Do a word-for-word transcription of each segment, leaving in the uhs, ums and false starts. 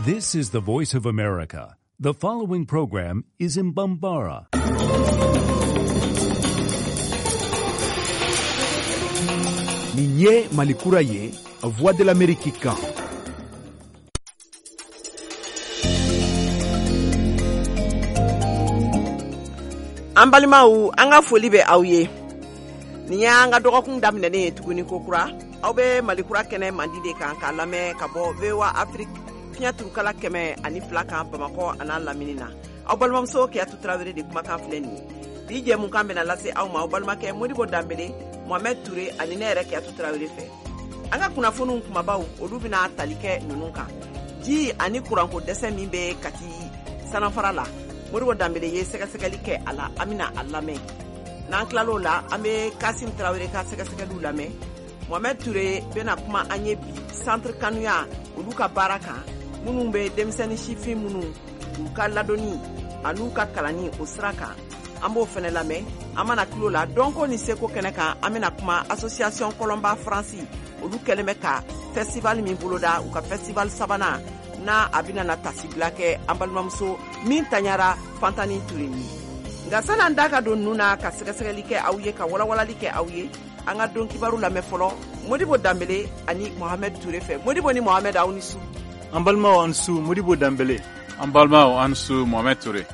This is the Voice of America. The following program is in Bambara. Nin ye Malikura ye, Voix de l'Amérique kan. An balimaw, an ka foli bɛ aw ye. Nin y'an ka dɔgɔkun daminɛnen ye tuguni kokura. Aw bɛ Malikura kɛnɛ mandi de kan k'a lamɛn ka bɔ V O A Afrique fiɲɛ turukala kɛmɛ ani fila kan Bamakɔ an'a lamini na. Aw balimamuso Kiyatu Tarawele de kumakan filɛ nin ye. Bi jɛmukan bɛna lase aw ma aw balimakɛ Modibo Danbele, Mohamed Touré ani ne yɛrɛ Kiyatu Tarawele fɛ. An ka kunnafoniw kumabaw olu bɛna tali kɛ ninnu kan. Ji ani kuranko dɛsɛ min bɛ Kati sanafara la, Modibo Danbele ye sɛgɛsɛgɛli kɛ a la, an bɛna a lamɛn. N'an tilal'o la, an bɛ Kasim Tarawele ka sɛgɛsɛgɛliw lamɛn. Mohamed Touré bɛna kuma an ye bi centre kanuya olu ka baara kan, minnu bɛ denmisɛnnin sifin minnu u ka ladonni an'u ka kalanni o sira kan, an b'o fɛnɛ lamɛn. An mana tulo la dɔnko ni seko kɛnɛ kan, an bɛna kuma association Kɔlɔnba Faransi olu kɛlen bɛ ka festival min boloda, u ka festival sabanan n'a a bɛna na tasibila kɛ an balimamuso min taɲara Fantani Ture ye. Nka san'an da ka don ninnu na ka sɛgɛsɛgɛli kɛ aw ye, ka walawalali kɛ aw ye, an ka don kibaru lamɛn fɔlɔ Modibo Danbele ani Mohamed Touré fɛ. Modibo ni Mohamed, aw ni su. An balimaw, an su Modibo Danbele. An balimaw, an su Mohamed Touré.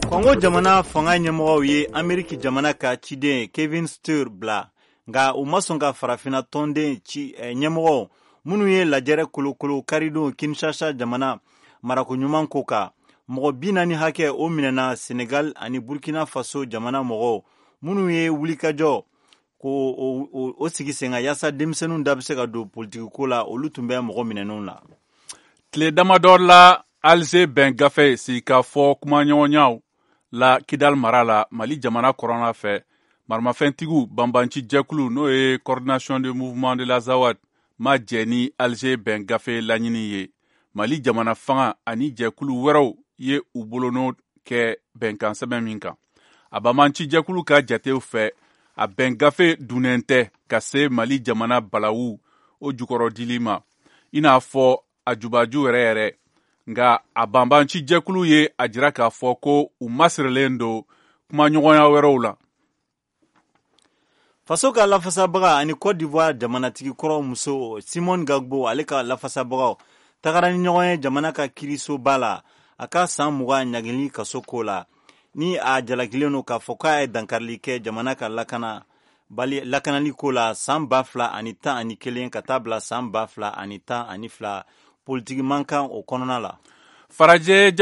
Kɔngo jamana fanga ɲɛmɔgɔw ye Ameriki jamana ka ciden Kevin Steur bila, nka u ma sɔn ka farafinna tɔnden ci ɲɛmɔgɔw minnu ye lajɛrɛ kolokolo karidon Kinshasa jamana marako ɲuman ko kan. Mɔgɔ bi naani hakɛ o minɛna Senegal ani Burkina Faso jamana mɔgɔw minnu ye wulikajɔ ko o, o sigi sen kan yaasa denmisɛnninw da bɛ se ka don politikiko la, olu tun bɛ mɔgɔ minɛnenw la. Tile damadɔ la, Alger bɛn gafe sigikafɔ kumaɲɔgɔnyaw la Kidal mara la, Mali jamana kɔrɔnna fɛ, maramafɛntigiw banbanci jɛkulu n'o ye Coordination de mouvement de l'Azawad ma jɛ ni Alger bɛn gafe laɲini ye. Mali jamana fanga ani jɛkulu wɛrɛw ye u bolonɔ kɛ bɛnkan sɛbɛn min kan. A banbanci jɛkulu ka jatew fɛ, a bɛn gafe dunnen tɛ ka se Mali jamana balawu o jukɔrɔdili ma, i n'a fɔ a jubaju yɛrɛ yɛrɛ. Nka a banbanci jɛkulu ye a jira k'a fɔ ko u masirilen don kumaɲɔgɔnya wɛrɛw la. Faso ka lafasabaga ani Côte d'Ivoire jamanatigi kɔrɔ muso Simone Gbagbo, ale ka lafasabagaw tagara ni ɲɔgɔn ye jamana ka kiirisoba la a ka san mugan ɲangili kaso ko la, ni a jalakilen don k'a fɔ k'a ye dankarili kɛ jamana ka lakana bali lakanali ko la san ba fila ani tan ani kelen ka taa bila san ba fila ani tan ani fila politiki mankan o kɔnɔna la. Farajɛ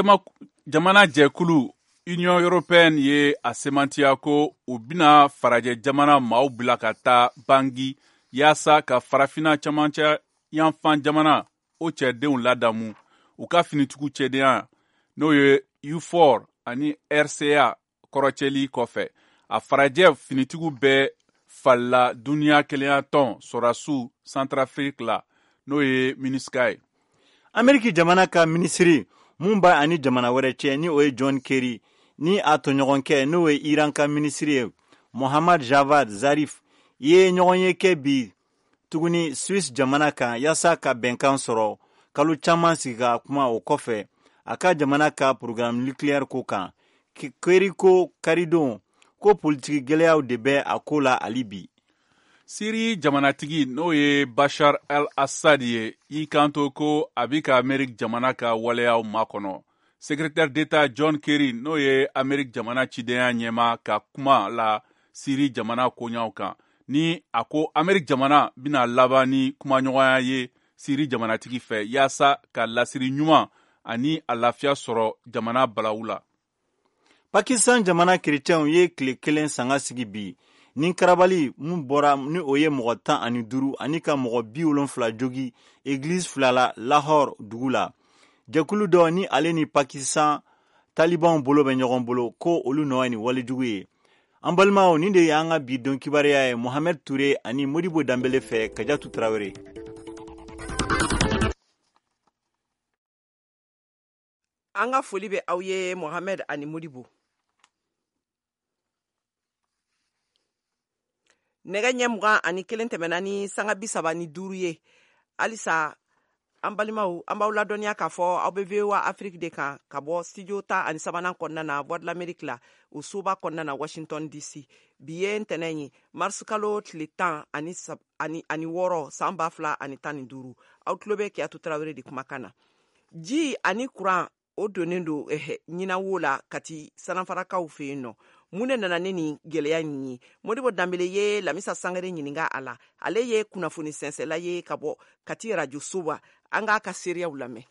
jamana jɛkulu Union européenne ye a semantiya ko u bɛna farajɛ jamana maaw bila ka taa Bangi yaasa ka farafinna camancɛ yanfan jamana o cɛdenw ladamu u ka finitigiw cɛdenya n'o ye U four ani R C A kɔrɔcɛli kɔfɛ. A farajɛ finitigiw bɛɛ falila duniya kelenya tɔn sɔrɔdasiw Centrafrique la n'o ye MINUSCA ye. Ameriki jamana ka minisiri mun b'a ani jamana wɛrɛ cɛ ni o ye John Kerry ni a tɔɲɔgɔnkɛ n'o ye Iran ka minisiri ye Mohammad Javad Zarif ye ɲɔgɔn ye kɛ bi tuguni Suisse jamana kan yaasa ka bɛnkan sɔrɔ kalo caman sigi ka kuma o kɔfɛ a ka jamana ka programme nucléaire ko kan. Kerry ko karidon ko politiki gɛlɛyaw de bɛ a ko la hali bi. Siri jamanatigi n'o ye Bashar al-Assad ye y'i kanto ko a bɛ ka Ameriki jamana ka waleyaw makɔnɔ. Secrétaire d'État John Kerry n'o ye Ameriki jamana cidenya ɲɛmaa ka kuma la Siri jamana koɲaw kan, ni a ko Ameriki jamana bɛna laban ni kumaɲɔgɔnya ye Siri jamanatigi fɛ yaasa ka lasiri ɲuman ani a lafiya sɔrɔ jamana balawu la. Pakistan jamana kerecɛnw ye tile kelen sanga sigi bi ni karabali mun bɔra ni o ye mɔgɔ tan ani duuru ani ka mɔgɔ bi wolonfila jogi église fila la Lahore dugu la. Jɛkulu dɔ ni ale ni Pakistan talibanw bolo bɛ ɲɔgɔn bolo ko olu nɔ ye nin walejugu ye. An balimaw, nin de y'an ka bi don kibaruya ye Mohamed Touré ani Modibo Danbele fɛ. Kajatu Tarawele. An ka foli bɛ aw ye Mohamed ani Modibo. Nɛgɛ ɲɛ mugan ani kelen tɛmɛna ni sanga bi saba ni duuru ye. Halisa an balimaw, an b'aw ladɔnniya k'a fɔ aw bɛ V O A Afrique de kan ka bɔ studio ta ani sabanan kɔnɔna na, Voix de l'Amérique la, o soba kɔnɔna na, Washington D C. Bi ye ntɛnɛn ye, mars kalo tile tan ani ani ani wɔɔrɔ, san ba fila ani tan ni duuru. Aw tulo bɛ Kiyatu Tarawele de kumakan na. Ji ani kuran, o donnen don eh, ɲinanwo la Kati Sananfarakaw fɛ yen nɔ. Mun de nana ne nin gwɛlɛya nin ye? Modibo Danbele ye Lamisa Sangare ɲininga a la. Ale ye kunnafoni sɛnsɛla ye ka bɔ Kati Radio Soba. An k'a ka seereyaw lamɛn.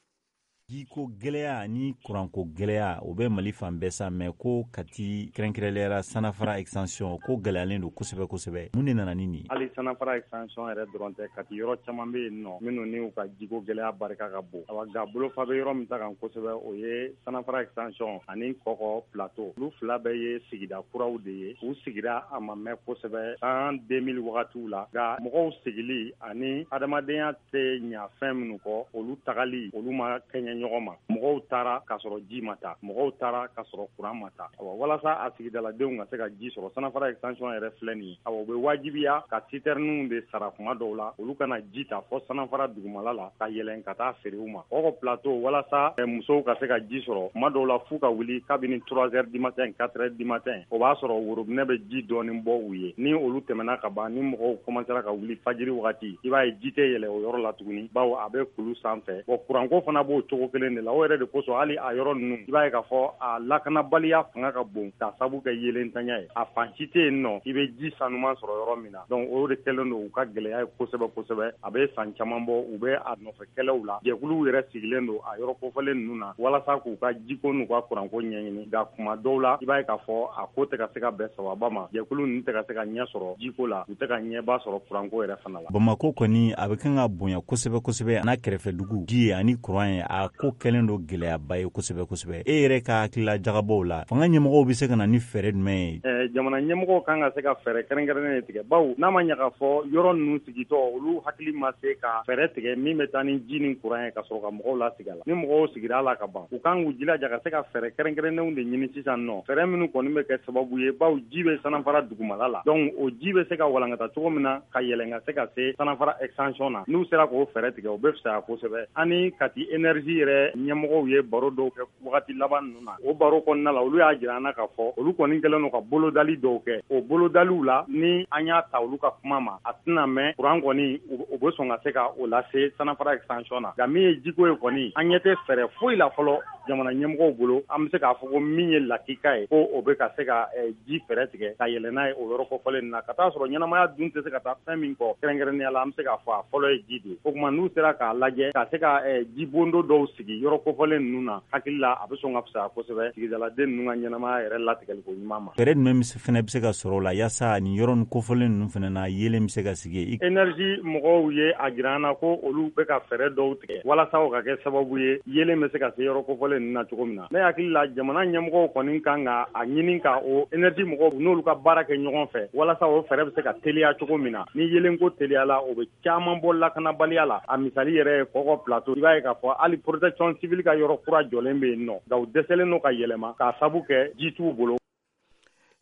Jiko gɛlɛya ni kuranko gɛlɛya, o bɛ Mali fan bɛɛ sa, mɛ ko Kati, kɛrɛnkɛrɛnliyara Sanafara Extension, ko gɛlɛyalen don kosɛbɛ kosɛbɛ. Mun de nana ni nin? Hali Sanafara Extension yɛrɛ dɔrɔn tɛ, Kati yɔrɔ caman bɛ yen nɔ minnu ni u ka jiko gɛlɛya barika ka bon. Awa, nka bolofa bɛ yɔrɔ min ta kan kosɛbɛ, o ye Sanafara Extension ani Kɔkɔ Plateau. Olu fila bɛɛ ye sigida kuraw de ye. U sigira a ma mɛn kosɛbɛ, san deux mille wagatiw la. Nka mɔgɔw sigili ani adamadenya tɛ ɲa fɛn minnu kɔ, olu tagali, olu ma kɛɲɛ ɲɔgɔn ma. Mɔgɔw taara k'a sɔrɔ ji ma taa, mɔgɔw taara k'a sɔrɔ kuran ma taa. Awa, walasa a sigidaladenw ka se ka ji sɔrɔ, Sanafara Extension yɛrɛ filɛ nin ye, awa, u bɛ wajibiya ka citernew de sara kuma dɔw la, olu kana ji ta fɔ Sanafara dugumala la ka yɛlɛn ka taa feere u ma. Kɔkɔ Plateau, walasa musow ka se ka ji sɔrɔ, kuma dɔw la f'u ka wuli kabini trois heures du matin, quatre heures du matin. O b'a sɔrɔ worobinɛ bɛ ji dɔɔni bɔ u ye. Ni olu tɛmɛna ka ban, ni mɔgɔw commencera ka wuli fajiri wagati, i b'a ye ji tɛ yɛlɛ o yɔrɔ la tuguni, bawo a bɛ kulu sanfɛ. Bon, kuranko fana b'o cogo kelen de la. O yɛrɛ de kosɔn, hali a yɔrɔ ninnu, i b'a ye k'a fɔ a lakanabaliya fanga ka bon, k'a sabu kɛ yelentanya ye. A fan si tɛ yen nɔ i bɛ ji sanuman sɔrɔ yɔrɔ min na. Donc o de kɛlen don u ka gɛlɛya ye kosɛbɛ kosɛbɛ. A bɛ san caman bɔ, u bɛ a nɔfɛ kɛlɛw la. Jɛkuluw yɛrɛ sigilen don a yɔrɔ kofɔlen ninnu na walasa k'u ka jiko n'u ka kuranko ɲɛɲini. Nka kuma dɔw la, i b'a ye k'a fɔ a ko tɛ ka se ka bɛn sababa ma. Jɛkulu ninnu tɛ ka se ka ɲɛ sɔrɔ jiko la, u tɛ ka ɲɛba sɔrɔ kuranko yɛrɛ fana la. Bamako kɔni, a bɛ kan ka bonya kosɛbɛ kosɛbɛ n'a kɛrɛfɛ dugu. Ji ye ani kuran ye, a ko kɛlen don gɛlɛyaba ye kosɛbɛ kosɛbɛ. E yɛrɛ ka hakilila jagabɔw la, fanga ɲɛmɔgɔw bɛ se ka na ni fɛɛrɛ jumɛn ye? Jamana ɲɛmɔgɔw kan ka se ka fɛɛrɛ kɛrɛnkɛrɛnnen de tigɛ, bawo n'a ma ɲɛ k'a fɔ yɔrɔ ninnu sigitɔ, olu hakili ma se ka fɛɛrɛ tigɛ min bɛ taa ni ji ni kuran ye ka sɔrɔ ka mɔgɔw lasigi a la. Ni mɔgɔw sigira a la ka ban, u kan k'u jilaja ka se ka fɛɛrɛ kɛrɛnkɛrɛnnenw de ɲini sisan nɔ, fɛɛrɛ minnu kɔni bɛ kɛ sababu ye, bawo ji bɛ Sanafara dugumala la. Donc o ji bɛ se ka walankata cogo min na ka yɛlɛn ka se ka se Sanafara Extension na, n'u sera k'o fɛɛrɛ tigɛ, o bɛ fisaya kosɛbɛ. Ani Kati Énergie yɛrɛ ɲɛmɔgɔw ye baro dɔw kɛ wagati laban ninnu na. O baro kɔnɔna la, olu y'a jira an na k'a fɔ olu kɔni kɛlen don ka bolodali dɔw kɛ. O bolodaliw la, ni an y'a ta olu ka kuma ma, a tɛna mɛn, kuran kɔni, u bɛ sɔn ka se ka o lase Sanafara Extension na. Nka min ye jiko ye kɔni, an ɲɛ tɛ fɛɛrɛ foyi la fɔlɔ jamana ɲɛmɔgɔw bolo, an bɛ se k'a fɔ ko min ye lakika ye, ko o bɛ ka se ka ji fɛɛrɛ tigɛ ka yɛlɛ n'a ye o yɔrɔ kɔfɔlen na, ka taa sɔrɔ ɲɛnamaya dun tɛ se ka taa fɛn min kɔ. Kɛrɛnkɛrɛnnenya la, an bɛ se k'a fɔ a fɔlɔ ye ji de ye. O tuma, n'u sera k'a lajɛ ka se ka jibondo dɔw sigi yɔrɔ kofɔlen ninnu na, hakili la a bɛ sɔn ka fisaya kosɛbɛ sigidaladen ninnu ka ɲɛnamaya yɛrɛ latigɛli ko ɲuman ma. Fɛɛrɛ jumɛn fana bɛ se ka sɔrɔ o la yaasa nin yɔrɔ nin kofɔlen ninnu fana na, yeelen bɛ se ka sigi? Énergie mɔgɔw ye a jira an na ko olu bɛ ka fɛɛrɛ dɔw tigɛ walasa o ka kɛ sababu ye, yeelen bɛ se ka se yɔrɔ kofɔlen ninnu na cogo min na. Ne hakili la, jamana ɲɛmɔgɔw kɔni kan ka a ɲini ka o énergie mɔgɔw n'olu ka baara kɛ ɲɔgɔn fɛ, walasa o fɛɛrɛ bɛ se ka teliya cogo min na. Ni yeelenko teliyala, o bɛ caman bɔ lakanabaliya la. A misali yɛrɛ ye Kɔkɔ Plateau. I b'a ye k'a fɔ hali protection civile ka yɔrɔ kura jɔlen bɛ yen nɔ, nka u dɛsɛlen don ka yɛlɛma k'a sabu kɛ ji t'u bolo.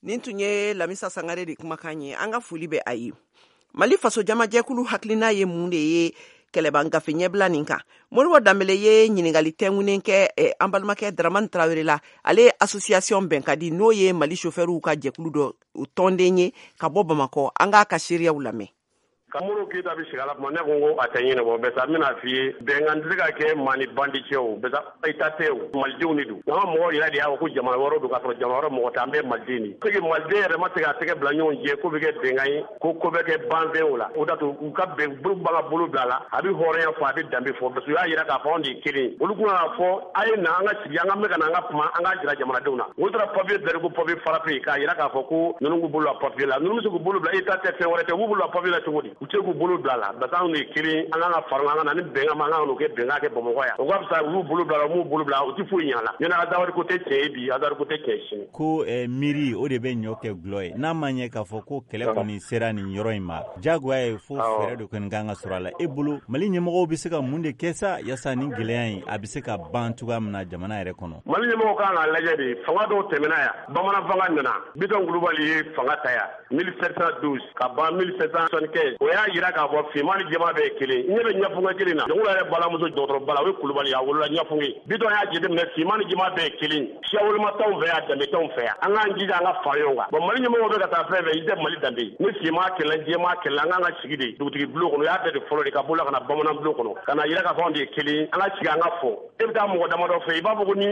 Nin tun ye Lamisa Sangare de kumakan ye. An ka foli bɛ a ye. Mali Faso Jamajɛkulu hakilina ye mun de ye kɛlɛban gafe ɲɛbila nin kan? Moribo Danbele ye ɲiningali tɛnkunnen kɛ eh, an balimakɛ Dramani Tarawele la. Ale ye association Bɛnkadi, n'o ye Mali chauffeurw ka jɛkulu dɔ, o tɔnden ye ka bɔ Bamakɔ. An k'a ka seereyaw lamɛn. Ka Modibo Keyita bɛ sigi a la kuma, ne ko n ko a tɛ ɲɛnabɔ. Bɛsa, n bɛna f'i ye, bɛnkan tɛ se ka kɛ maa ni bandi cɛ. O bɛsa, État tɛ o, malidenw de don. An ka mɔgɔw yɛrɛ de y'a fɔ ko jamana wɛrɛw don, k'a sɔrɔ jamana wɛrɛ mɔgɔ tɛ, an bɛɛ maliden de ye. Maliden yɛrɛ ma se k'a tɛgɛ bila ɲɔgɔn jɛ ko bɛ kɛ bɛnkan ye, ko ko bɛ kɛ banfɛn o la. O da to u ka bɛn, bolo b'an ka bolo bila a la, a bɛ hɔrɔnya fɔ, a bɛ danbe fɔ, parce que u y'a jira k'a fɔ anw de ye kelen ye. Olu kun k'a fɔ a ye na, an ka sigi, an ka mɛn ka na, an ka kuma, an k'a jira jamanadenw na. Olu taara papier bila ko papier frappé, k'a jira k'a fɔ ko ninnu k'u bolo bila papier la. Ninnu bɛ se k'u bolo bila, État tɛ, fɛn wɛrɛ tɛ, u b'u bolo bila papier la cogo di? U tɛ k'u bolo bila a la parce que anw de ye kelen, an kan ka fara an ka na ni bɛnkan ma, an kan k'o kɛ bɛnkan kɛ Bamakɔ yan. O ka fisa u y'u bolo bila a la, u m'u bolo bila, u tɛ foyi ɲɛ a la. Ɲɛna Azawadi ko tɛ tiɲɛ ye bi, Azawadi ko tɛ tiɲɛ sini. Ko eh, miiri o de bɛ ɲɔ kɛ gulɔ ye. N'a ma ɲɛ k'a fɔ ko kɛlɛ kɔni sera nin yɔrɔ in ma, jagoya ye fo fɛɛrɛ de kɔni kan ka sɔrɔ a la. E bolo Mali ɲɛmɔgɔw bɛ se ka mun de kɛ sa yaasa nin gɛlɛya in a bɛ se ka ban cogoya min na jamana yɛrɛ kɔnɔ? Mali ɲɛmɔgɔw kan k'a lajɛ de, fanga dɔw tɛmɛna yan, bamanan fanga nana, Bitɔn Kulubali ye fanga ta yan mille sept cent douze ka ban mille sept cent soixante-quinze. O y'a jira k'a fɔ finman ni jɛman bɛɛ ye kelen. N ɲɛ bɛ ɲɛfunke kelen na, Jɔnkulu yɛrɛ balamuso dɔgɔtɔrɔ bala, o ye Kulubali, a wolola ɲɛfunke. Bitɔn y'a jateminɛ finman ni jɛman bɛɛ ye kelen, siya woloma t'anw fɛ yan, danbe t'anw fɛ yan. An k'an jija an ka fara ɲɔgɔn kan. Bon, Mali ɲɛmɔgɔw bɛ ka taa fɛn fɛn, i tɛ Mali danbe ye. Ni finman kɛlɛ, jɛman kɛlɛ, an k'an ka sigi de dugutigi bulon kɔnɔ. O y'a bɛɛ de fɔlɔ de ka bɔ la ka na bamanan bulon kɔnɔ, ka na yira k'a fɔ anw de ye kelen. An ka sigi an ka fɔ. E bɛ taa mɔgɔ damadɔ fɛ, i b'a fɔ ko ni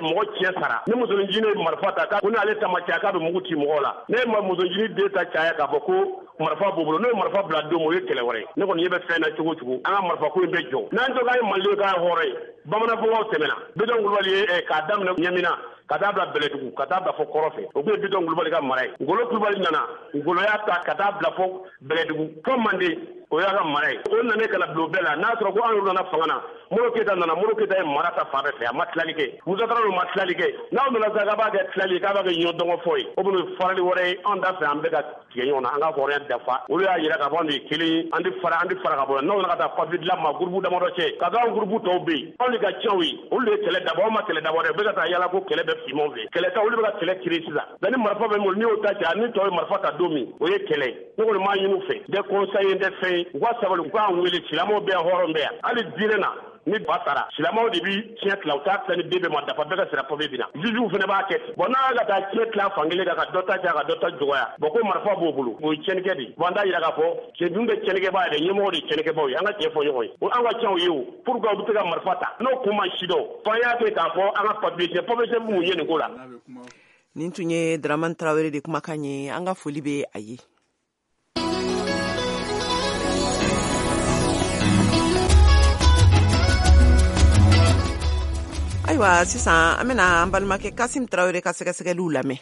mɔgɔ tiɲɛ sara, ni musoninjinin ye marifa ta, ko n'ale ta ma caya k'a bɛ mugu ci mɔgɔw la. Ne ye musoninjinin den ta caya k'a fɔ ko marifa b'o bolo, n'o ye marifa bila don min, o ye kɛlɛ wɛrɛ ye. Ne kɔni ɲɛ bɛ fɛn na cogo cogo, an ka marifa ko in bɛ jɔ. N'an to k'an ye Mali k'an ye hɔrɔn ye, bamanan fɔlɔw tɛmɛna, Bitɔn Kulubali ye k'a daminɛ Ɲamina ka taa bila Bɛlɛdugu, ka taa bila fɔ Kɔrɔ fɛ, o tun ye Bitɔn Kulubali ka mara ye. Ngolo Kulubali nana, Ngolo y'a ta ka taa bila fɔ Bɛlɛdugu fɔ Manden, o y'a ka mara ye. O nana ka na bila o bɛɛ la. N'a sɔrɔ ko an yɛrɛ nana fanga na, Modibo Keyita nana, Modibo Keyita ye mara ta fan bɛɛ fɛ, a ma tilali kɛ. Musa Tarawele ma tilali kɛ. N'aw nana sisan k'a b'a kɛ tilali ye, k'a b'a kɛ ɲɔ dɔngɔ fɔ ye, o bɛna farali wɛrɛ ye. Anw t'a fɛ an bɛɛ ka tigɛ ɲɔgɔn na, an ka hɔrɔnya dafa. Olu y'a jira k'a fɔ anw de ye kelen ye, an tɛ fara, an tɛ fara ka bɔ. N'aw nana ka taa papiye dilan ma gurupu damadɔ cɛ, ka k'anw gurupu tɔw bɛ yen, anw de ka cɛw ye, olu de ye kɛlɛ dabɔ, anw ma kɛlɛ dabɔ dɛ. U bɛ ka taa yala ko kɛlɛ bɛ finmanw fɛ, kɛlɛ ta, olu bɛ ka kɛlɛ créer sisan. Nka ni marifa bɛ min bolo, n'i y'o ta cɛ, ni tɔw ye marifa ta don min, o ye kɛlɛ ye. Ne kɔni m'a ɲini u fɛ, n tɛ conseil, n tɛ fɛn ye, u ka sabali, u k'an wele. Silamɛw bɛ yan, hɔrɔn bɛ yan, hali diinɛ na ni ba sara, silamɛw de bi tiɲɛ tila, u t'a tila ni den bɛɛ ma dafa, bɛɛ ka sira papiye bɛ na. Jujuw fana b'a kɛ ten. Bon, n'a ka taa tiɲɛ tila fan kelen kan, ka dɔ ta caya, ka dɔ ta dɔgɔya, bon ko marifa b'o bolo, o ye tiɲɛnikɛ de ye. Bon, an t'a jira k'a fɔ cɛ dun bɛ tiɲɛnikɛbaa yɛrɛ, ɲɛmɔgɔ de ye tiɲɛnikɛbaw ye. An ka tiɲɛ fɔ ɲɔgɔn ye, o an ka cɛnw ye o. Pourquoi u bɛ se ka marifa ta n'o kun ma si dɔn? Fo an y'a kɛ k'a fɔ an ka papiye tiɲɛ, papiye tiɲɛ bɛ mun ye nin ko la? Nin tun ye Dramane Traoré de kumakan ye, an ka foli bɛ a ye. Ayiwa, sisan an bɛna an balimakɛ Kasim Traoré ka sɛgɛsɛgɛliw lamɛn.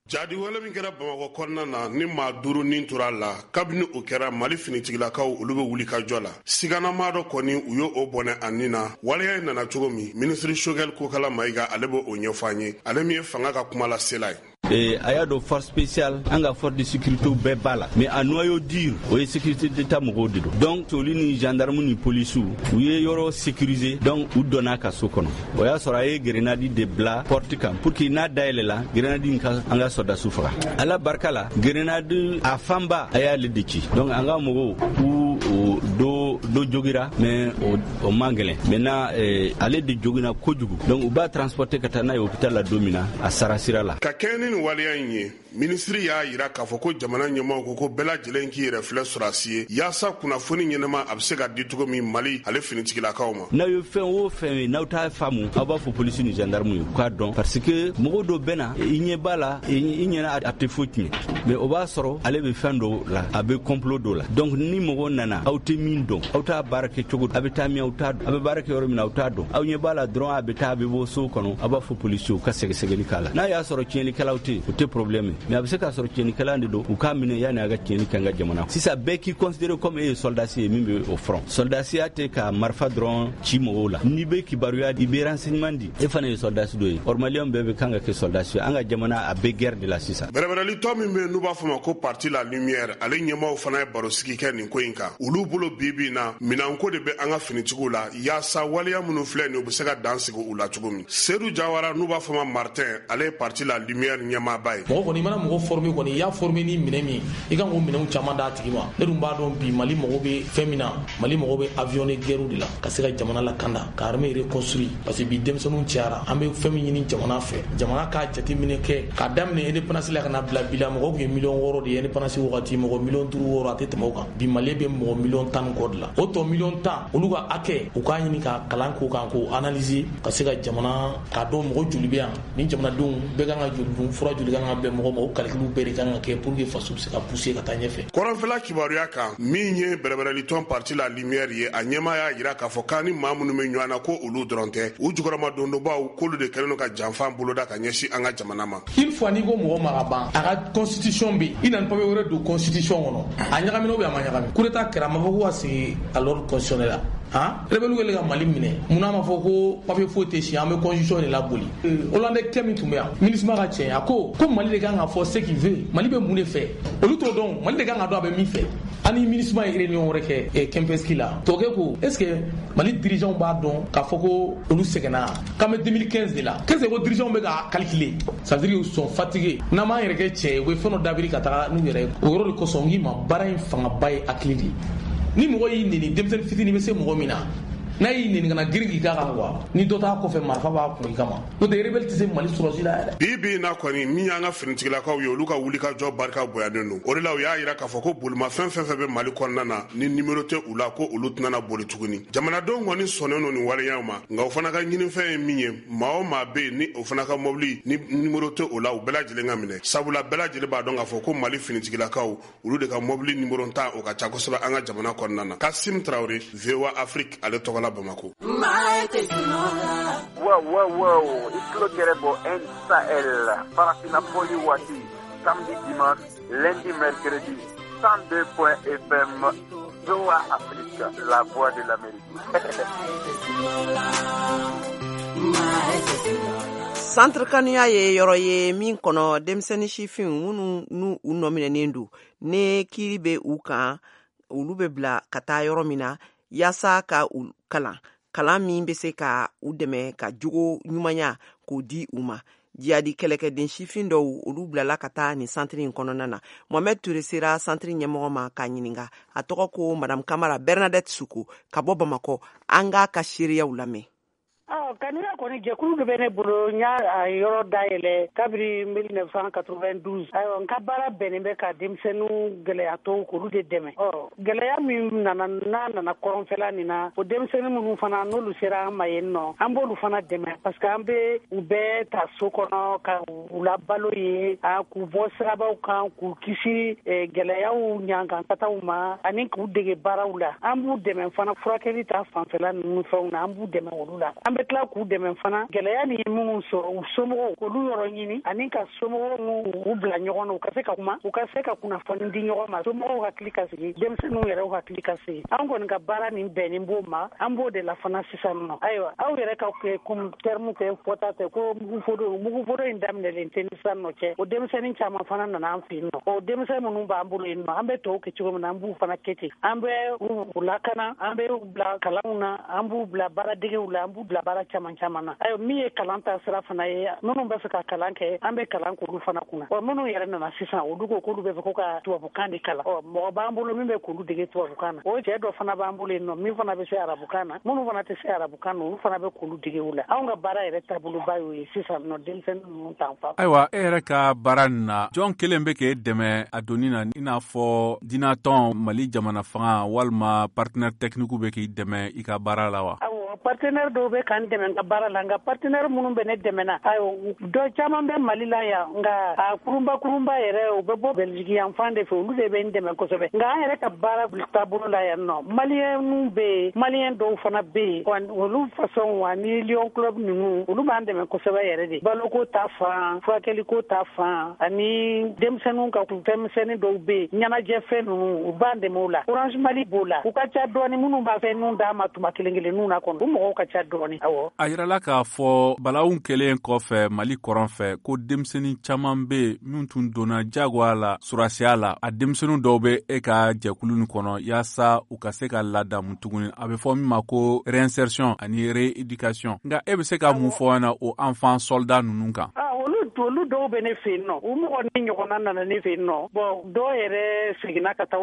Jadi wale min kɛra Bamakɔ kɔnɔna na ni maa duuru nin tora a la, kabini o kɛra Mali finitigilakaw olu bɛ wuli ka jɔ la. Siganamaa dɔ kɔni u y'o bɔnɛ a nin na. Waleya in nana cogo min, minisiri Choguel Kokala Mayiga ale b'o ɲɛfɔ an ye, ale min ye fanga ka kuma lasela ye. Et a y'a dɔn force spéciale, an ka force de sécurité bɛɛ b'a la, mais a noyau dur o ye sécurité d'état mɔgɔw de don. Donc olu ni gendarme ni policiw u ye yɔrɔ sécuriser, donc u donna ka so kɔnɔ. O y'a sɔrɔ a ye grenade de bila porte kan pour que n'a dayɛlɛla grenade in ka an ka sɔrɔdasiw faga. Ala barika la, grenade a fanba a y'ale de ci. Donc an ka mɔgɔw u do do jogira, mais o, o man gɛlɛn. Maintenant eh, ale de jogina kojugu, donc u b'a transporter ka taa n'a ye hôpital la don min na, a sara sira la. Ka kɛɲɛ ni nin waleya in ye, minisiri y'a yira k'a fɔ ko jamana ɲɛmaaw ko ko bɛɛ lajɛlen k'i yɛrɛ filɛ sɔrɔdasi ye yaasa kunnafoni ɲɛnama a bɛ se ka di cogo min Mali ale finitigilakaw ma. N'aw ye fɛn o fɛn ye, n'aw t'a faamu, aw b'a fɔ polisi ni gendarme ye u k'a dɔn, parce que mɔgɔ dɔ bɛ na i ɲɛ b'a la, i ɲɛna a tɛ foyi tiɲɛ, mais o b'a sɔrɔ ale bɛ fɛn dɔ la, a bɛ complot dɔ la. Donc ni mɔgɔ nana, aw tɛ min dɔn, aw t'a baara kɛ cogo, a bɛ taa min aw t'a dɔn, a bɛ baara kɛ yɔrɔ min na aw t'a dɔn, aw ɲɛ b'a la dɔrɔn a bɛ taa a bɛ bɔ so kɔnɔ, aw b'a fɔ polisiw ka sɛgɛsɛgɛli k'a la. N'a y'a sɔrɔ tiɲɛnikɛlaw tɛ yen, o tɛ problème ye, mais a bɛ se k'a sɔrɔ tiɲɛnikɛla de don, u k'a minɛ yanni a ka tiɲɛni kɛ an ka jamana. Sisan bɛɛ k'i considéré comme e ye soldasi ye min bɛ o front. Soldasiya tɛ ka marifa dɔrɔn ci mɔgɔw la, n'i bɛ kibaruya di, i bɛ renseignement di, e fana ye soldasi dɔ ye. Or maliyɛnw bɛɛ bɛ kan ka kɛ soldasi ye, an ka jamana a bɛ guerre de la sisan. Bɛrɛbɛrɛli tɔ min bɛ yen n'u b'a fɔ ma ko parti la lumière, ale ɲɛmaaw fana ye barosigi kɛ nin ko in kan. Olu bolo bi bi in na, minɛnko de bɛ an ka finitigiw la yaasa waleya minnu filɛ nin ye, u bɛ se ka dan sigi u la cogo min. Seydou Jawara n'u b'a fɔ ma Martin, ale ye parti la lumière ɲɛmaaba ye. Mɔgɔ kɔni, i mana mɔgɔ former kɔni, i y'a former ni minɛn min, i kan k'o minɛnw caman d'a tigi ma. Ne dun b'a dɔn bi Mali mago bɛ fɛn min na, Mali mago bɛ avion de guerre de la ka se ka jamana lakanda, ka armée reconstruire, parce que bi denmisɛnninw cayara. An bɛ fɛn min ɲini jamana fɛ, jamana k'a jateminɛ kɛ k'a daminɛ indépendance la ka na bila bi la, mɔgɔw tun ye miliyɔn wɔɔrɔ de ye indépendance wagati, mɔgɔ miliyɔn duuru wɔɔrɔ a tɛ tɛmɛ o kan. Bi Mali bɛ mɔgɔ miliyɔn tan ni kɔ de la. O tɔ miliyɔn tan, olu ka hakɛ, u k'a ɲini ka kalan k'o kan, k'o analyser ka se ka jamana k'a dɔn mɔgɔ joli bɛ yan, ni jamanadenw bɛɛ kan ka joli dun, fura joli kan ka bɛn mɔgɔ ma. O calcul bɛɛ de kan ka kɛ pour que faso bɛ se ka pousser ka taa ɲɛfɛ. Kɔrɔnfɛla kibaruya kan, min ye bɛrɛbɛrɛlitɔn parti la Lumière ye, a ɲɛmaa y'a jira k'a fɔ k'a ni maa minnu bɛ ɲɔgɔn na ko olu dɔrɔn tɛ, u jukɔrɔma dondonbaw k'olu de kɛlen don ka janfa boloda ka ɲɛsin an ka jamana ma. Une fois n'i ko mɔgɔ ma ka ban, a ka constitution bɛ yen, i nana papier wɛrɛ don constitution kɔnɔ, a ɲagamina ou bien a ma ɲagami, coup d'état kɛra, a ma fɔ ko ka segin à l'ordre constitutionnel la. Han, rebelle kɛlen ka Mali minɛ, munna a ma fɔ ko papier foyi tɛ si, an bɛ constitution de laboli? Hollandais kɛ min tun bɛ yan, MINUSMA ka cɛ, a ko ko Mali de kan ka fɔ ce qu'il veut, Mali bɛ mun de fɛ, olu t'o dɔn, Mali de kan ka dɔn a bɛ min fɛ. An ni MINUSMA ye réunion wɛrɛ kɛ Kempeski la, tɔkɛ ko est ce que Mali dirigeants b'a dɔn k'a fɔ ko olu sɛgɛnna, k'an bɛ deux mille quinze de la, qu'est-ce que ko dirigeants bɛ ka calculer, ça veut dire qu'ils sont fatigués. N'an m'an yɛrɛ kɛ cɛ ye, u bɛ fɛn dɔ dabiri ka taga n'u yɛrɛ ye. O yɔrɔ de kosɔn n k'i ma, baara in fangaba ye hakili de ye. Ni mɔgɔ y'i neni, denmisɛnnin fitinin bɛ se mɔgɔ min na, n'a y'i neni kana girin k'i k'a kan quoi, ni dɔ t'a kɔfɛ marifa b'a kun i kama, n'o tɛ rebelle tɛ se Mali sɔrɔsi la yɛrɛ. Bi bi in na kɔni, min y'an ka finitigilakaw ye, olu ka wulikajɔ barika bonyanen don. O de la u y'a jira k'a fɔ ko bolimafɛn fɛn fɛn bɛ Mali kɔnɔna na ni nimero tɛ u la, ko olu tɛna na boli tuguni. Jamanadenw kɔni sɔnnen don nin waleyaw ma, nka o fana ka ɲinifɛn ye min ye, maa o maa bɛ yen ni o fana ka mobili ni nimero tɛ o la, u bɛɛ lajɛlen ka minɛ, sabula bɛɛ lajɛlen b'a dɔn k'a fɔ ko Mali finitigilakaw olu de ka mobili nimero tan o ka ca kosɛbɛ an ka jamana kɔnɔna na. Kasim Traoré, V O A Afrique, ale tɔgɔ la Bamako. Wow, wow, wow. I tulo gɛrɛ bɔ N Sahel, Farafina fɔli waati, samedi, dimanche, lundi, mercredi, cent deux point F M, V O A Afrique, la voix de l'Amérique. Centre Kanuya ye yɔrɔ ye min kɔnɔ denmisɛnnin sifinw minnu n'u u nɔminɛnen don, ne kiiri bɛ u kan, olu bɛ bila ka taa yɔrɔ min na yaasa ka u kalan, kalan min bɛ se ka u dɛmɛ ka jogo ɲumanya k'o di u ma. Jihadi kɛlɛkɛden sifin dɔw olu bilala ka taa nin santiri in kɔnɔna na. Mohamed Touré sera santiri ɲɛmɔgɔ ma k'a ɲininka. A tɔgɔ ko Madame Kamara Bernadette Suko ka bɔ Bamakɔ. An k'a ka seereyaw lamɛn. Kanuya kɔni jɛkulu dɔ bɛ ne bolo, n y'a yɔrɔ dayɛlɛ kabiri mille neuf cent quatre-vingt-douze. Ayiwa, n ka baara bɛnnen bɛ ka denmisɛnninw gɛlɛyatɔw k'olu de dɛmɛ. Ɔ gɛlɛya min nana n'a nana kɔrɔnfɛla nin na, o denmisɛnnin minnu fana n'olu sera an ma yen nɔ, an b'olu fana dɛmɛ parce que an bɛ u bɛɛ ta so kɔnɔ ka u labalo ye, k'u bɔ sirabaw kan, k'u kisi gɛlɛyaw ɲankankataw ma, ani k'u dege baaraw la. An b'u dɛmɛ fana furakɛli ta fanfɛla ninnu fɛnw na, an b'u dɛmɛ olu la. An bɛ tila k'u dɛmɛ fana gɛlɛya ni ye minnu sɔrɔ u somɔgɔw k'olu yɔrɔ ɲini, ani ka somɔgɔw u bila ɲɔgɔn na, u ka se ka kuma, u ka se ka kunnafoni di ɲɔgɔn ma, somɔgɔw hakili ka sigi, denmisɛnninw yɛrɛw hakili ka sigi. An kɔni ka baara nin bɛnnen b'o ma, an b'o de la fana sisan nɔ. Ayiwa, aw yɛrɛ ka terme kɛ fɔta tɛ ko mugufodo, mugufodo in daminɛlen tɛ ni sisan nɔ cɛ. O denmisɛnnin caman fana nana an fɛ yen nɔ. O denmisɛnnin minnu b'an bolo yen nɔ, an bɛ tɔw kɛ cogo min na, an b'u fana kɛ ten. An bɛ u lakana, an bɛ u bila kalanw na, an b'u bila baaradegew la, an b'u bila baara caman caman na. Ayiwa, min ye kalan ta sira fana ye, minnu bɛ fɛ ka kalan kɛ, an bɛ kalan k'olu fana kunna. Ɔ minnu yɛrɛ nana sisan, olu ko k'olu bɛ fɛ ko ka tubabukan de kalan. Ɔ mɔgɔ b'an bolo min bɛ k'olu dege tubabukan na. O cɛ dɔ fana b'an bolo yen nɔ min fana bɛ se arabukan na, minnu fana tɛ se arabukan na, olu fana bɛ k'olu dege o la. Anw ka baara yɛrɛ taaboloba y'o ye sisan nɔ, denmisɛnnin ninnu t'an fa. Ayiwa, e yɛrɛ ka baara nin na, jɔn kelen bɛ k'e dɛmɛ a donni na, i n'a fɔ dinatɔn, Mali jamana fanga walima partenaire technique bɛ k'i dɛmɛ i ka baara la wa? Awɔ, partenaire dɔw bɛ k'an dɛmɛ n ka baara la, nka partenaire minnu bɛ ne dɛmɛ na, ayiwa, dɔ caman bɛ Mali la yan, nka a kurunba kurunba yɛrɛ u bɛ bɔ Belgique yan fan de fɛ, olu de bɛ n dɛmɛ kosɛbɛ. Nka an yɛrɛ ka baara taabolo la yan nɔ, maliyɛnw bɛ yen, maliyɛn dɔw fana bɛ yen, olu façon ani Lion Club ninnu, olu b'an dɛmɛ kosɛbɛ yɛrɛ de. Baloko ta fan, furakɛliko ta fan, ani denmisɛnninw ka fɛnmisɛnnin dɔw bɛ yen, ɲɛnajɛfɛn ninnu, u b'an dɛmɛ o la. Orange Mali b'o la, u ka ca dɔɔni minnu b'a fɛn ninnu d'a ma tuma kelen kelenninw na kɔnɔ, u mɔgɔw ka ca dɔɔni. Awɔ. A yirala k'a fɔ balaww kɛlen kɔfɛ Mali kɔrɔn fɛ ko denmisɛnnin caman bɛ yen minnu tun donna jagoya la surasiya la. A denmisɛnnin dɔw bɛ e ka jɛkulu nin kɔnɔ yaasa u ka se ka ladamu tuguni. A bɛ fɔ min ma ko réinsertion ani rééducation. Nka e bɛ se ka mun fɔ an na o enfant soldat ninnu kan? Olu dɔw bɛ ne fɛ yen nɔ, u mɔgɔ ni ɲɔgɔnna nana ne fɛ yen nɔ. Bon, dɔw yɛrɛ seginna ka taa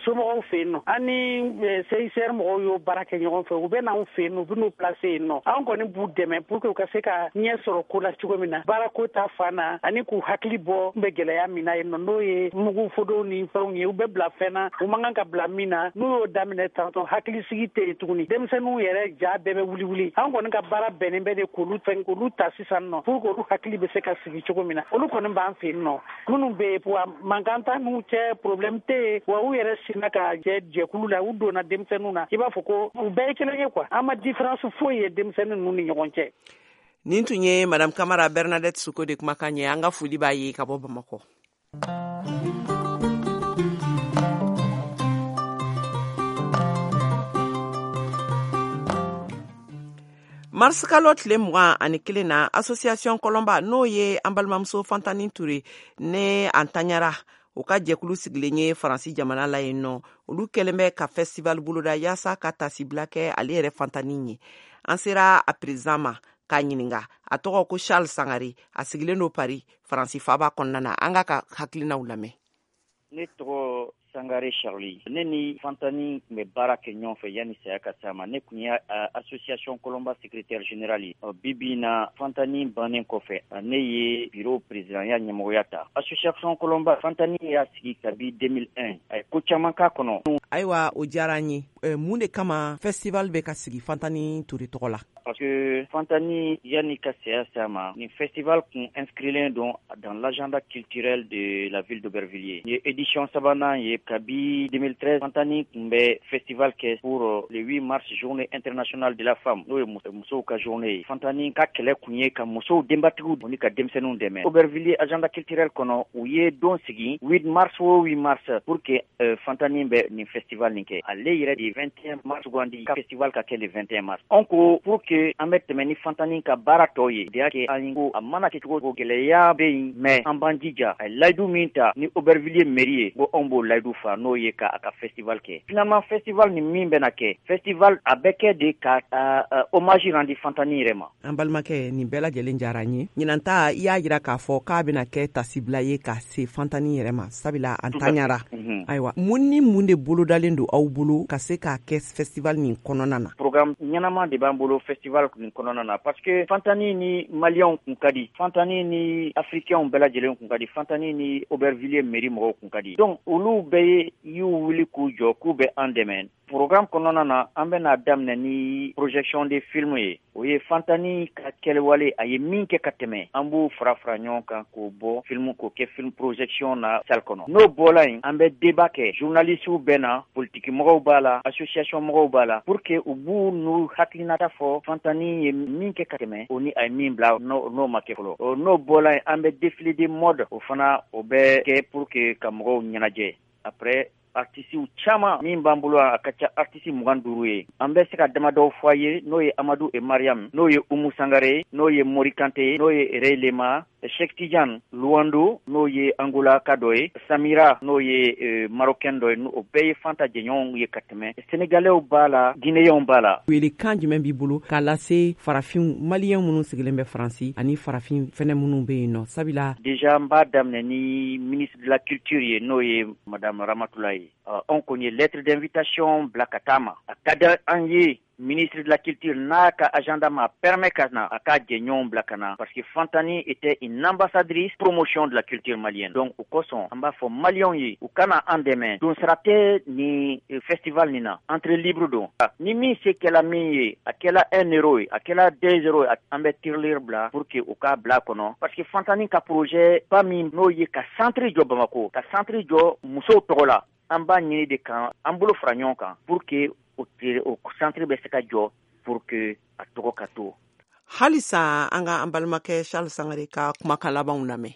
somɔgɔw fɛ yen nɔ. An ni C I C R mɔgɔw y'o baara kɛ ɲɔgɔn fɛ, u bɛ n'anw fɛ yen nɔ, u bɛ n'u placer yen nɔ. Anw kɔni b'u dɛmɛ pour que u ka se ka ɲɛ sɔrɔ ko la cogo min na, baarako ta fan na, ani k'u hakili bɔ n bɛ gɛlɛya min na yen nɔ, n'o ye mugufodow ni fɛnw ye, u bɛ bila fɛn na u man kan ka bila min na. N'u y'o daminɛ tantɔ, hakilisigi tɛ yen tuguni, denmisɛnninw yɛrɛ ja bɛɛ bɛ wuli wuli. Anw kɔni ka baara bɛnnen bɛ de k'olu fɛn k'olu ta sisan nɔ pour que olu hakili hakili bɛ se ka sigi cogo min na. Olu kɔni b'an fɛ yen nɔ, minnu bɛ yen wa mankan t'a n'u cɛ, problème tɛ yen, wa u yɛrɛ sinna ka jɛ jɛkulu la, u donna denmisɛnninw na, i b'a fɔ ko u bɛɛ ye kelen ye quoi. An ma différence foyi ye denmisɛnnin ninnu ni ɲɔgɔn cɛ. Nin tun ye Madame Kamara Bernadette Soko de kumakan ye. An ka foli b'a ye ka bɔ Bamakɔ. Mars kalo tile mugan ani kelen na, association Kɔlɔnba, n'o ye an balimamuso Fantani Ture ne an taɲara o ka jɛkulu sigilen ye Faransi jamana la yen nɔ, olu kɛlen bɛ ka festival boloda yaasa ka tasibila kɛ ale yɛrɛ Fantani ye. An sera a président ma k'a ɲininga. A tɔgɔ ko Charles Sangare, a sigilen don Paris, Faransi faaba kɔnɔna na. An k'a ka hakilinaw lamɛn. Ne tɔgɔ Sangare Charlie. Ne ni Fantani tun bɛ baara kɛ ɲɔgɔn fɛ yanni saya ka s'a ma. Ne tun ye association Kɔlɔnba secrétaire général ye. Bi bi in na, Fantani bannen kɔfɛ, ne ye bureau présidentya ɲɛmɔgɔya ta. Association Kɔlɔnba, Fantani y'a sigi kabi deux mille un. A ye ko caman k'a kɔnɔ. Ayiwa, o diyara n ye. Mun de kama festival bɛ ka sigi Fantani Ture tɔgɔ la? Parce que Fantani yanni ka saya s'a ma, nin festival kun inscrilen don dans l'agenda culturel de la ville d'Aubervilliers. Nin ye édition sabanan ye. Kabi deux mille treize, Fantani tun bɛ festival kɛ pour le huit mars, journée internationale de la femme, n'o ye musow ka journée ye. Fantani ka kɛlɛ kun ye ka musow denbatigiw ni ka denmisɛnninw dɛmɛ. Aubervilliers agenda culturel kɔnɔ, u ye don sigi huit mars o huit mars pour que euh, Fantani bɛ nin festival nin kɛ. Ale yɛrɛ de vingt et un mars sugandi ka festival ka kɛ le vingt et un mars. Anw ko pour que an bɛ tɛmɛ ni Fantani ka baara tɔw ye, de y'a kɛ an ko a mana kɛ cogo o gɛlɛya bɛ yen, mais an b'an jija. A ye layidu min ta ni Aubervilliers mairie ye, ko anw b'o layidu fa, n'o ye ka a ka festival kɛ. Finalement festival ni min bɛna kɛ, festival a bɛ kɛ de ka uh, hommage rendre Fantani yɛrɛ ma. An balimakɛ, nin bɛɛ lajɛlen diyara n ye. Ɲinan ta, i y'a jira k'a fɔ k'a bɛna kɛ tasibila ye ka se Fantani yɛrɛ ma, sabula an taɲara. Ayiwa, mun ni mun de bolodalen don aw bolo ka se k'a kɛ festival nin kɔnɔna na? Programme ɲɛnama de b'an bolo festival nin kɔnɔna na, parce que Fantani ni Maliyɛnw kun ka di, Fantani ni Africains bɛɛ lajɛlen kun ka di, Fantani ni Aubervilliers mairie mɔgɔw kun ka di. Donc olu bɛɛ y'u wuli k'u jɔ k'u bɛ an dɛmɛ. Programme kɔnɔna na, an bɛna daminɛ ni projection de film ye. O ye Fantani ka kɛlɛwale, a ye min kɛ ka tɛmɛ, an b'o fara fara ɲɔgɔn kan k'o bɔ film, k'o kɛ film projection na salle kɔnɔ. N'o bɔla yen, an bɛ débat kɛ. Journalistes bɛ na, politique mɔgɔw b'a la, association mɔgɔw b'a la, pour que u b'u n'u hakilinata fɔ Fantani ye min kɛ ka tɛmɛ, o ni a ye min bila n'o ma kɛ fɔlɔ. N'o bɔla yen, an bɛ défilé de mode, o fana o bɛ kɛ pour que ka mɔgɔw ɲɛnajɛ. Après, artisiw caman min b'an bolo, a ka ca artisi mugan duuru ye. An bɛ se ka damadɔw fɔ a ye, n'o ye Amadu et Mariam, n'o ye Umu Sangare, n'o ye Mori Kante, n'o ye Rey Lema, Cheikh Tidiane Luando, n'o ye Angola ka dɔ ye, Samira, n'o ye euh, Marocain dɔ ye. O bɛɛ ye Fanta jɛɲɔgɔnw ye ka tɛmɛ. Sénégalais b'a la, Guinéens b'a la. Welekan jumɛn b'i bolo k'a lase farafin maliyɛn minnu sigilen bɛ Faransi ani farafin fɛnɛ minnu bɛ yen nɔ, sabula? Déjà n b'a daminɛ ni ministre de la culture ye, n'o ye Madame Ramatoulaye. Anw kɔni ye lettre d'invitation bila ka taa ma. A ka di an ye ministre de la culture n'a ka agenda ma permet ka na, a ka jɛɲɔgɔnw bila ka na, parce que Fantani était une ambassadrice promotion de la culture malienne. Donc o kosɔn an b'a fɔ maliyɛnw ye u kana an dɛmɛ. Don sara tɛ ni festival nin na, entrée libre don. Ni min se kɛla min ye, a kɛla un euro ye, a kɛla deux euros ye, an bɛ tirelire bila pour que u k'a bila kɔnɔ, parce que Fantani ka projet ba min n'o ye ka centre jɔ Bamako, ka centre jɔ musow tɔgɔ la, an b'a ɲini de kan an bolo fara ɲɔgɔn kan pour que o centre bɛ se ka jɔ, pour que a tɔgɔ ka to. Halisa an ka an balimakɛ Charles Sangare ka kumakan labanw lamɛn.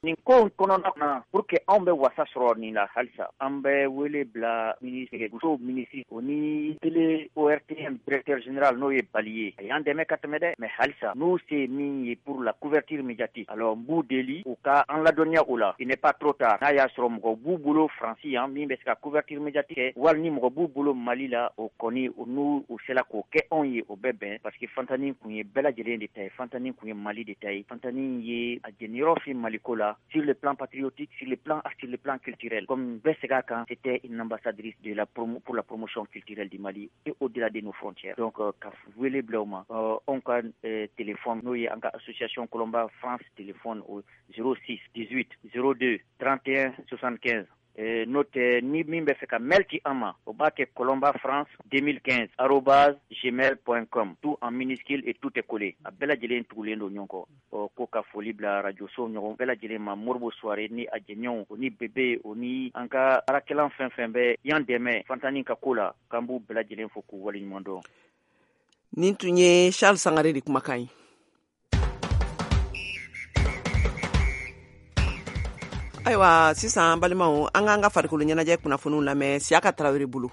Nin ko kɔnɔna na, pour que anw bɛ wasa sɔrɔ nin la, halisa an bɛ wele bila ministre, musow ministre, o ni télé O R T M directeur général, n'o ye Bali ye. A y'an dɛmɛ ka tɛmɛ dɛ, mais halisa n'u se min ye pour la couverture médiatique, alors n b'u deli u ka an ladɔnniya o la. Il n'est pas trop tard. N'a y'a sɔrɔ mɔgɔ b'u bolo Faransi yan min bɛ se ka couverture médiatique kɛ, wali ni mɔgɔ b'u bolo Mali la, o kɔni n'u u sera k'o kɛ anw ye, o bɛ bɛn, parce que Fantani kun ye bɛɛ lajɛlen de ta ye, Fantani kun ye Mali de ta ye, Fantani ye a jeniyɔrɔ fin Maliko la, sur le plan patriotique, sur le plan, sur le plan culturel. Comme Bessegakan, c'était une ambassadrice de la promo, pour la promotion culturelle du Mali et au-delà de nos frontières. Donc, ka wele bila u ma, anw ka téléphone, n'o ye an ka association Colomba France téléphone au zéro six dix-huit zéro deux trente et un soixante-quinze. N'o tɛ ni min bɛ fɛ ka mail ci an ma, o b'a kɛ Colomba France deux mille quinze arobase gmail point com, tout en minuscule et tout est collé. A bɛɛ lajɛlen tugulen don ɲɔgɔn kɔ. Ɔ ko ka foli bila radio so ɲɔgɔn bɛɛ lajɛlen ma, Moribo Soare ni a jɛɲɔgɔnw, o ni Bebe, o ni an ka baarakɛlan fɛn fɛn bɛ yan dɛmɛ Fantani ka ko la, k'an b'u bɛɛ lajɛlen fo k'u waleɲuman dɔn. Nin tun ye Charles Sangare de kumakan ye. Ayiwa sisan balimaw, an k'an ka farikolo ɲɛnajɛ kunnafoniw lamɛn Siyaka Tarawele bolo.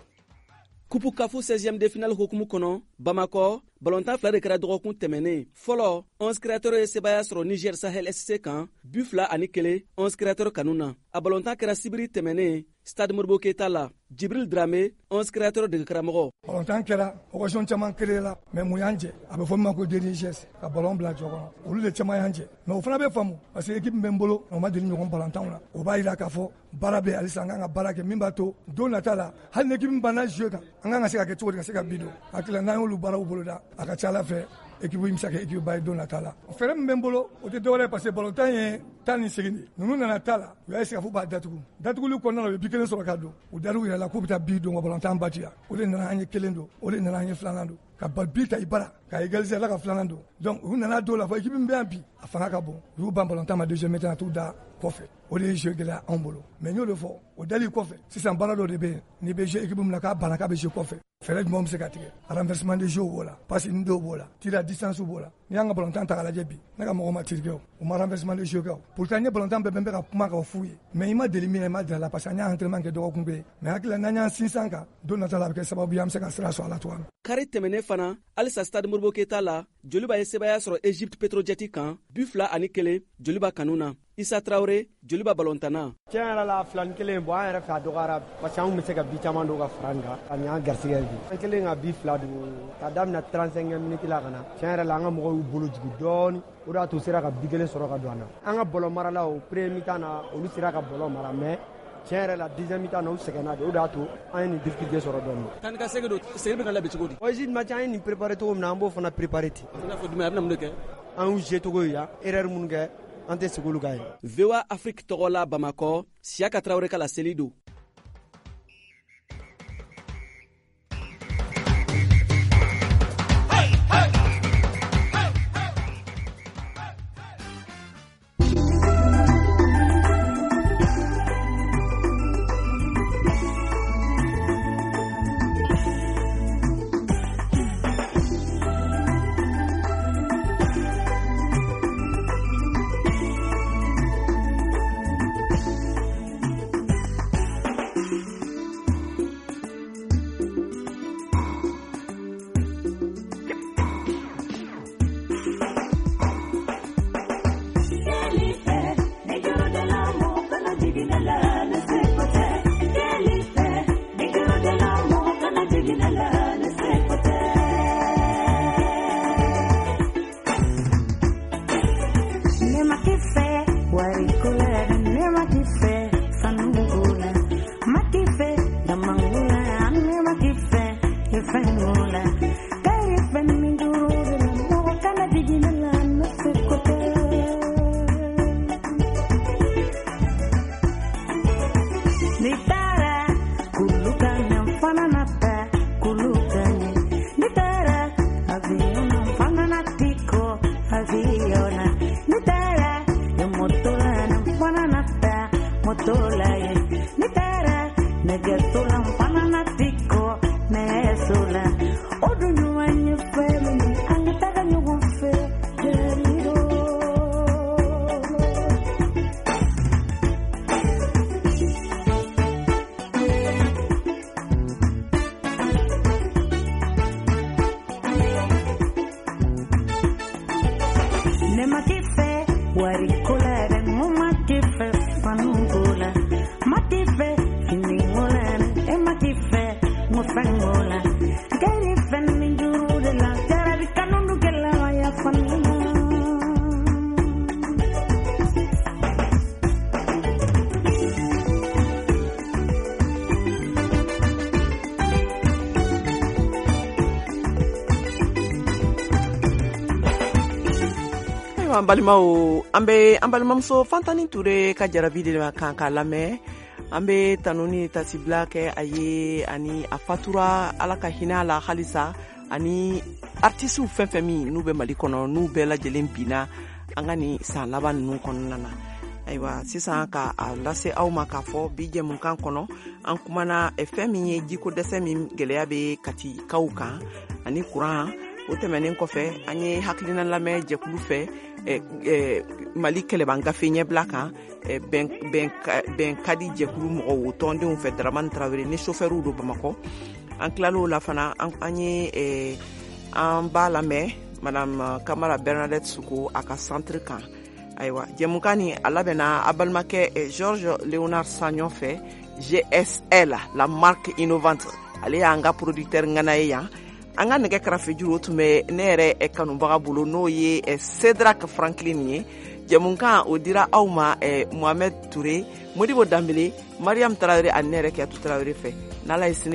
Kupu Kafu seizième de finale hukumu kɔnɔ, Bamakɔ, balontan fila de kɛra dɔgɔkun tɛmɛnen. Fɔlɔ, onze créateurs ye sebaaya sɔrɔ Niger Sahel S C kan, bi fila ani kelen onze créateurs kanu na. A balontan kɛra sibiri tɛmɛnen Stade Modibo Keita la. Jibril Dramé, onze créateurs dege karamɔgɔ. Balontan kɛra, occasion caman créé la, mais mun y'an jɛ? A bɛ fɔ min ma ko dernier geste, ka ballon bila jɔ kɔnɔ. Olu de caman y'an jɛ. Mais o fana bɛ faamu parce que équipe min bɛ n bolo, o ma deli ɲɔgɔn balontanw la. O b'a jira k'a fɔ baara bɛ halisa, an kan ka baara kɛ min b'a to don nata la, hali ni équipe min banna jouer kan, an kan ka se ka kɛ cogo di ka se ka bi don. Hakili la n'an y'olu baaraw boloda, a ka ca Ala fɛ équipe in bɛ se ka kɛ équipe ba ye don nata la. Fɛɛrɛ min bɛ n bolo, o tɛ dɔwɛrɛ ye parce que balontan ye tan ni segin de. Ninnu nana ta la, u y'a essayer k'a fɔ b'a datugu. Datuguli kɔnɔna la, u ye bi kelen sɔrɔ ka don. U dar'u yɛrɛ la k'u bɛ taa bi don ka balontan ba ci. O de nana an ye kelen don, o de nana an ye filanan don. Ka ba bi ta i bara, ka égaliser la ka filanan don. Donc u nana don la fɔ équipe min bɛ yan bi, a fanga ka bon. U y'u ban balontan ma deuxième mi-temps, t'u da kɔfɛ. O de ye jeu gɛlɛya anw bolo. Mais n y'o de fɔ, o dali kɔfɛ, sisan baara dɔ de bɛ yen, n'i bɛ jouer équipe min na k'a banna k'a bɛ jouer kɔfɛ. Fɛɛrɛ jumɛn bɛ se ka tigɛ? Renversement de jeu b'o la, passe ni dɔw b'o la, tir à distance b'o la. N'i y'an ka balontan ta k'a lajɛ bi, ne ka mɔgɔw ma tir kɛ o, u ma renversement de jeu kɛ o. Pourtant n ye balontan bɛɛ bɛ ka kuma k'o f'u ye. Mais i ma deli min na, i ma deli a la parce que an y'a entraînement kɛ dɔgɔkun bɛɛ. Mais hakili la n'an y'an sinsin kan, don nata la a bɛ kɛ sababu ye an bɛ se ka sira sɔrɔ a la cogoya min. Kari tɛmɛnen fana, halisa Stade Modibo Keita la, Joliba ye sebaaya sɔrɔ Egypte Petrojet kan, bi fila ani kelen Joliba kanu na. Isa Traoré, Joliba balontanna. Tiɲɛ yɛrɛ la, fila ni kelen bɔn an yɛrɛ fɛ a dɔgɔyara parce que an tun bɛ se ka bi caman don ka fara nin kan ka nin y'an garisɛgɛ ye bi. An kɛlen ka bi fila don ka daminɛ trente-cinquième minute la ka na, tiɲɛ yɛrɛ la an ka mɔgɔw y'u bolo jigin dɔɔni, o de y'a to u sera ka bi kelen sɔrɔ ka don an na. An ka bɔlɔ maralaw premier mi-temps na olu sera ka bɔlɔ mara, mais tiɲɛ yɛrɛ la deuxième mi-temps na u sɛgɛnna de, o de y'a to an ye nin difficulté sɔrɔ dɔɔni. Tan ka segin don, segin bɛ ka labɛn cogo di? Egypte match an ye nin préparé cogo min na, an b'o fana préparé ten. I n'a fɔ jumɛn, a bɛna mun de kɛ? An y'u jouer cogo ye yan, erreur minnu kɛ, an tɛ segin olu kan ye. V O A Afrique tɔgɔ la Bamakɔ, Siyaka Tarawele ka laseli don. An balimaw, an bɛ an balimamuso Fantani Ture ka jarabi de kan k'a lamɛn. An bɛ tanu ni tasibila kɛ a ye, ani a fatura, Ala ka hinɛ a la halisa, ani artisiw fɛn fɛn min n'u bɛ Mali kɔnɔ, n'u bɛɛ lajɛlen binna an ka nin san laban ninnu kɔnɔna na. Ayiwa, sisan ka a lase aw ma k'a fɔ bi jɛmukan kɔnɔ, an kumana fɛn min ye jiko dɛsɛ min gɛlɛya bɛ Katikaw kan ani kuran. O tɛmɛnen kɔfɛ, an ye hakilina lamɛn jɛkulu fɛ Mali kɛlɛban gafe ɲɛbila kan, bɛn ka di jɛkulu mɔgɔw, o tɔndenw fɛ, Dramane Traoré ni chauffeurw don Bamakɔ. An tilal'o la fana, an ye an b'a lamɛn Madame Kamara Bernadette Suko a ka centre kan. Ayiwa, jɛmukan ni a labɛnna a balimakɛ Georges Léonard Sagnon fɛ, G S L, la marque innovante. Ale y'an ka producteur ŋana ye yan. An ka nɛgɛ karafejuru, o tun bɛ ne yɛrɛ kanubaga bolo, n'o ye Cédrac Franklin ye. Jɛmukan o dira aw ma Mohamed Touré, Modibo Danbele, Mariam Traoré ani ne yɛrɛ Kiyatu Traoré fɛ. N'Ala ye sini